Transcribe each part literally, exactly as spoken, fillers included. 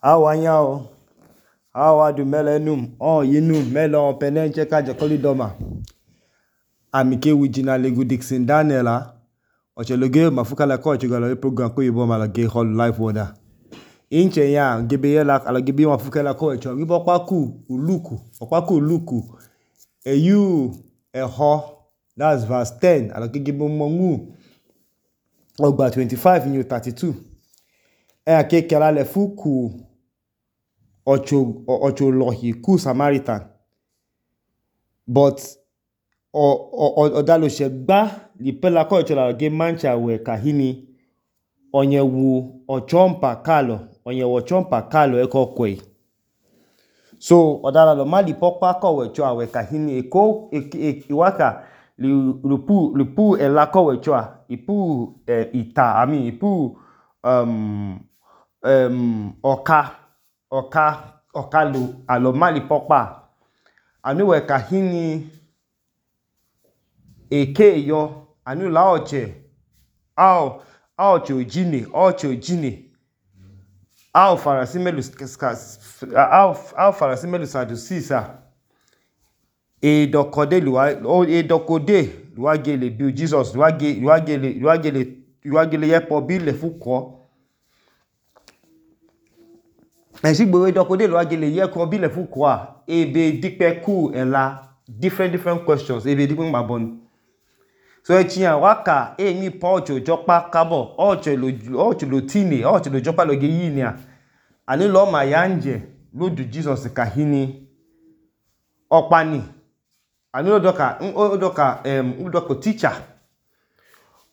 Awanyao, awadu melenum, oh yinum melon penenche kaje kolidoma. Amike wijina legu Dixon Daniela. Ocheloge mafukala ko ochigalo program ko yibo malage hall life wada. Inche ya gebe yela ala gebe mafukala ko echo wibo kwaku uluku, okwaku uluku. Eyu eho, that's verse ten. Ala gebe mongu. Ogba twenty-five new thirty-two. E ake kela le fuku ocho ocho lohi ku Samaritan. But o o odalo shegba li pela ko chola ge mancha we kahini onye wu ochompa kalo onye wu ochompa kalo eko kwe. So odala lo mali pokpa ko we cho we kahini eko iwaka li lupu lupu elako we cho ipu eh, ita ami ipu um um oka oka okalu alo mali pokpa anu we kahini eke yo anu la oche ao oche ojine oche ojine ao farasimelu ao ao farasimelu sadusisa e dokode luwa e dokode luwa gele bi Jesus luwa ge luwa gele luwa gele luwa gele yepo bi le fuko Esigbo dokode luwa gele yepo bi le fuko a ebe dipe ku ela different different questions ebe dipe mabon. So echiyan waka e mi po ocho jokpa kabo ocho lo ocho lo tine ocho lo jokpa lo ge yinia ani lo ma yanje lo du Jesus kahini opani ani lo doka odoka em odoko teacher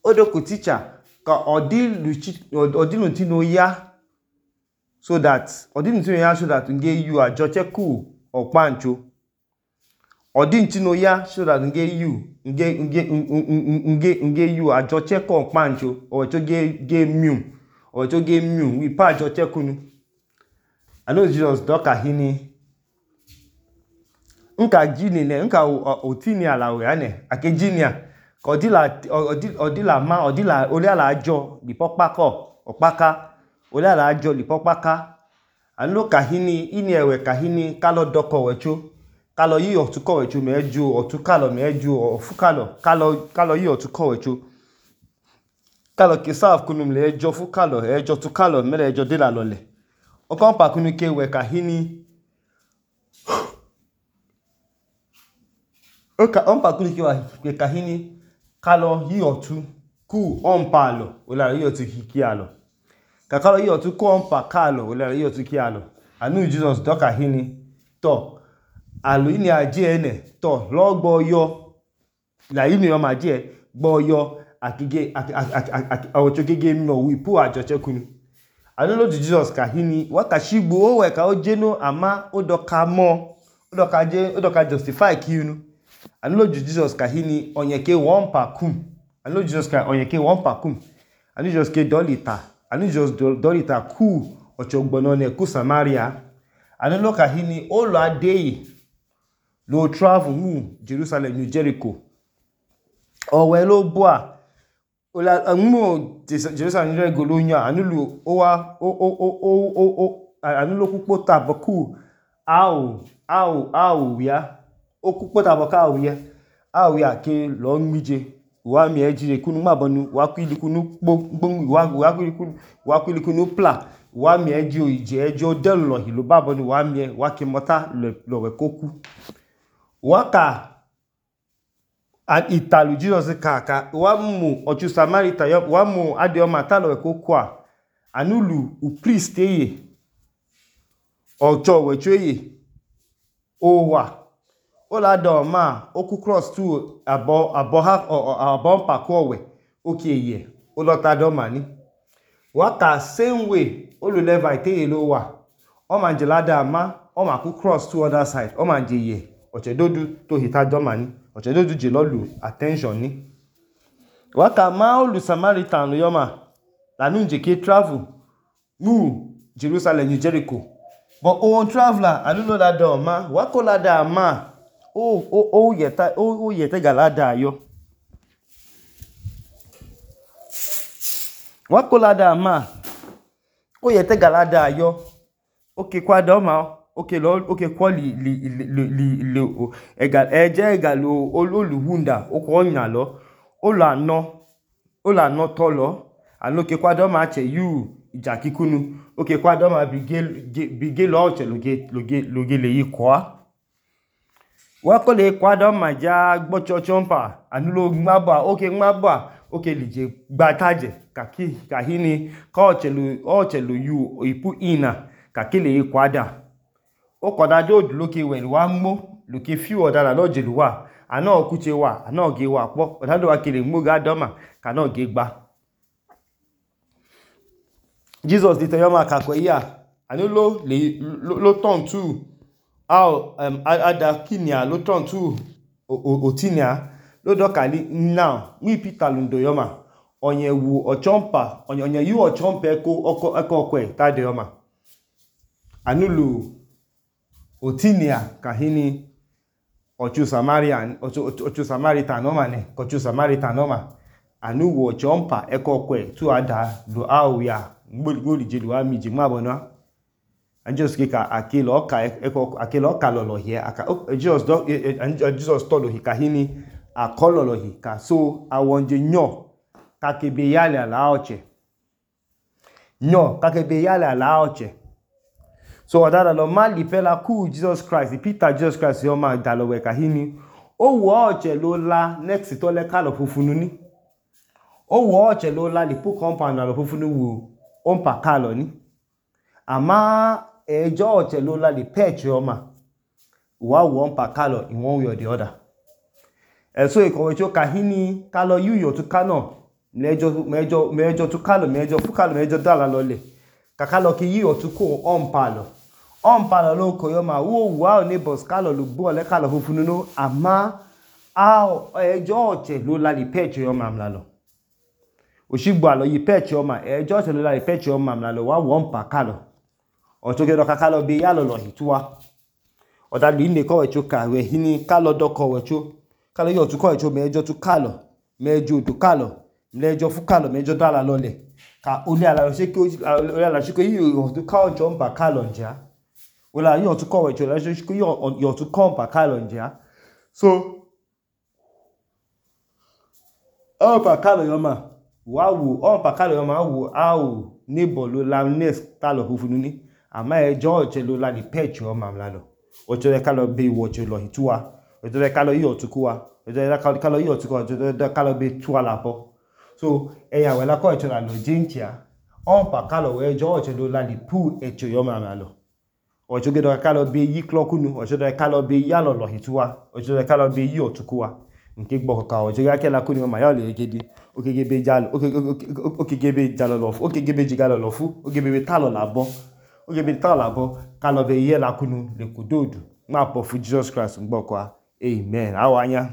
odoko teacher ka odilu odilu tino ya so that odilu tino ya so that nge you ajoche ku opancho Odin tino ya so that nge you nge nge nge nge you ajoche ko pancho o to ge ge mium o to ge mium wi pa ajoche kunu. I know Jesus doka hini nka jini ne nka otini ala we ane ake jinia ko odila odila ma odila ole ala ajo li pokpako opaka ole ala ajo li pokpaka anu kahini ini ewe kahini kalo doko wecho kalo yi otuko wecho meju otukalo meju ofukalo kalo kalo yi otuko wecho kalo kisaf kunu mle ejo fukalo ejo tukalo mele ejo dela lole okon pa kunu ke we kahini oka on pa kunu ke we kahini kalo yi otu ku on palo ola yi otu hikialo ka kalo yi otu ku on pa kalo ola yi otu kialo anu Jesus doka hini to alu ini aje ene to lo gbo yo la ini o ma je gbo yo akige awocho gege mi no wi pu ajoche kunu anu lo Jesus kahini waka shigbo o we ka o jeno ama o doka mo o doka je o doka justify kiunu anu lo Jesus kahini onyeke one pa kum anu lo Jesus ka onyeke one pa kum anu Jesus ke dolita anu Jesus dolita ku ochogbono ne ku Samaria anu lo kahini o lo adei lo travel mu Jerusalem New Jericho owe lo bua ola mu Jerusalem New Jericho lo nya anulu o wa o o o o o anulu pupo taboku au au au ya o pupo taboka au ya au ya ke lo nmije wa mi ejire kunu mabonu wa kwili kunu gbon wa wa kwili kunu wa kwili kunu pla wa mi eji oje ejo delu lo hilo babonu wa mi wa ke mota lo we koku waka at italu Jesus kaka wa mu ochu Samaritan yo wa mu ade o mata lo ko kwa anulu u priest eye ocho we cheye o wa o la do ma o ku cross tu abo abo ha abo pa ko we okeye o lo ta do ma ni waka same way o lo Levite eye lo wa o ma je lada ma o ma ku cross to other side o ma je ye ochedodu to hita domani ochedodu je lolu attention ni waka ma olu Samaritan lo yoma lanu nje ke travel mu Jerusalem New Jericho but o traveler anu no la do ma wako la da ma o o o yeta o o yete galada yo wako la da ma o yete galada yo oke kwadọma oke lo oke kwọ li li li li li ega eje ega lo oluhunda okọ ọnya lọ olo anọ olo anọ tọ lọ alo oke kwadọma achẹ yu ija kikunu oke kwadọma bige lọ ọchẹ loge loge loge leyi kọa wako le kwadọma ja gbọchọchọ mpa anu lo nmabọ oke nmabọ oke lije gbataje kaki kahini ka ọchẹ lo ọchẹ lo yu ipu ina kaki leyi kwada okọda jodu loke wẹlu wa mmo loke fiu ọdala lọjẹlu wa anọ ọkuche wa anọ ge wa kpọ ọdado wa kele mmo ga dọma kanọ ge gba Jesus di tẹyọma kakọ iya anu lo le lo turn to how um ada kinia lo turn to otinia lo dọkali now nwi Peter lundo yọma onye wu ọchọmpa onye onye yu ọchọmpa eko ọkọ eko ọkwe ta yọma anu lo otinia kahini ọchụ Samaritan ọchụ Samaritan nọma ne ọchụ Samaritan nọma anu wu ọchọmpa eko ọkwe tu ada lo awia gbori jelu wa mi jigma bona and just kika akelo ka eko akelo ka lolo here aka Jesus do Jesus tolo hi kahini akololo hi ka so awonje nyo ka kebe yale ala oche nyo ka kebe yale ala oche so odada lo mali pela ku Jesus Christ Peter Jesus Christ yo ma dalo we kahini o wo oche lo la next to le ka lo fufunu ni o wo oche lo la li pu compound lo fufunu wo ompa kalo ni ama ejo ọchẹ ló la lè pẹ́ẹ̀chì ọmọ wà wọ́n pa kálọ̀ in one way or the other ẹ̀sọ́ ìkọ̀wé tí ó ka hí ní kálọ̀ yíyọ̀ tó kánọ̀ mẹ́jọ tó kálọ̀ mẹ́jọ fún kálọ̀ mẹ́jọ dára lọlẹ̀ kàkálọ̀ kí yíyọ̀ tó kó ọ̀npalọ̀ ọ̀npalọ̀ ló kọ̀ yọmọ wó wà ó ní bọ̀s kálọ̀ ló gbọ́ ọ̀lẹ́ kálọ̀ funfun nínú àmá ẹjọ́ ọ̀chẹ̀ ló la lè pẹ́ẹ̀chì ọmọ àmì lọ òṣìgbò àlọ́ yìí pẹ́ẹ̀chì ọmọ ẹjọ́ ọ̀chẹ̀ ló la lè pẹ́ẹ̀chì ọmọ àmì lọ wà wọ́n pa kálọ̀ ọ̀tọ́gẹ́dọ̀ kakálọ̀ bí yálọ̀ lọ ìtúwá ọ̀dàlù ilé kọ́wẹ̀ tí ó kàwẹ̀ híní kálọ̀ dọ́kọ̀wẹ̀ tí ó kálọ̀ yóò tún kọ́wẹ̀ tí ó mẹ́jọ tún kálọ̀ mẹ́jọ òdò kálọ̀ mẹ́jọ fún kálọ̀ mẹ́jọ dára lọlẹ̀ ka olé alàṣíkò yíò tún káwọ̀ jọ ń bà kálọ̀ ǹjẹ́ olé yóò tún kọ́wẹ̀ tí ó làṣíkò yóò tún kọ́ ń bà kálọ̀ ǹjẹ́ so ọ̀ bà kálọ̀ yọ mà wà wò ọ̀ bà kálọ̀ yọ mà wò á ò níbọ̀ ló la next kálọ̀ funfun ní àmá ẹjọ́ ọ̀chẹ́ ló la lè pẹ́ẹ̀chì ọmọ àmì lálọ́ ọjọ́ rẹ̀ kálọ̀ bí ìwọ̀chẹ́ lọ ìtúwa ọjọ́ rẹ̀ kálọ̀ yíò túkú wa ọjọ́ rẹ̀ kálọ̀ yíò túkú wa ọjọ́ rẹ̀ kálọ̀ bí túwa làbọ́ so ẹ̀yà wẹ̀ lákọ̀ ẹ̀chọ́ là lọ jíǹkìá ọ̀npà kálọ̀ wẹ̀ ẹjọ́ ọ̀chẹ́ ló la lè pú ẹ̀chẹ́ ọmọ àmì lálọ́ ọjọ́ rẹ̀ kálọ̀ bí yí klọ́kúnu ọjọ́ rẹ̀ kálọ̀ bí yálọ̀ lọ ìtúwa ọjọ́ rẹ̀ kálọ̀ bí yíò túkú wa nke gbọkọka ọjọ́ rẹ̀ kẹ́lá kúni ọmọ yọ̀ lè gidi okegebe jalọ̀ lọ fún okegebe jigalọ̀ lọ fún okegebe tálọ̀ làbọ́ oge bi ta labo kalobe ye lakunu le kudodu ma po fu Jesus Christ ngbokwa amen awanya